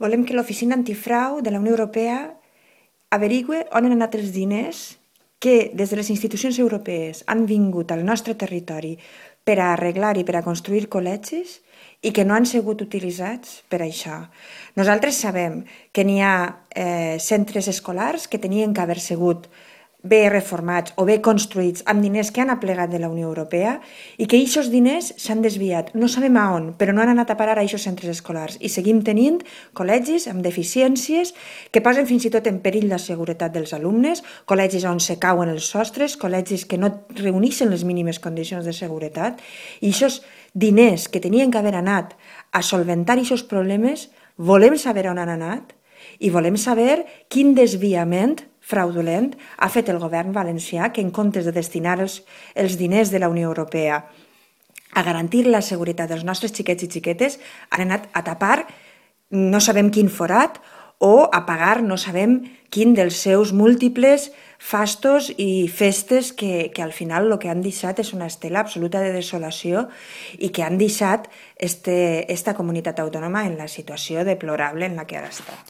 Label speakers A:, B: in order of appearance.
A: Volem que l'Oficina Antifrau de la Unió Europea averigüe on han anat els diners que des de les institucions europees han vingut al nostre territori per a arreglar i per a construir col·legis i que no han sigut utilitzats per a això. Nosaltres sabem que n'hi ha centres escolars que tenien que haver sigut bé reformats o bé construïts amb diners que han aplegat de la Unió Europea i que aquests diners s'han desviat. No sabem a on, però no han anat a parar a aquests centres escolars i seguim tenint col·legis amb deficiències que posen fins i tot en perill la seguretat dels alumnes, col·legis on se cauen els sostres, col·legis que no reuneixen les mínimes condicions de seguretat i aquests diners que tenien que haver anat a solventar aquests problemes volem saber on han anat i volem saber quin desviament fraudulent ha fet el govern valencià que en comptes de destinar els diners de la Unió Europea a garantir la seguretat dels nostres xiquets i xiquetes han anat a tapar no sabem quin forat o a pagar no sabem quin dels seus múltiples fastos i festes que al final el que han deixat és una estela absoluta de desolació i que han deixat esta comunitat autònoma en la situació deplorable en la que ara està.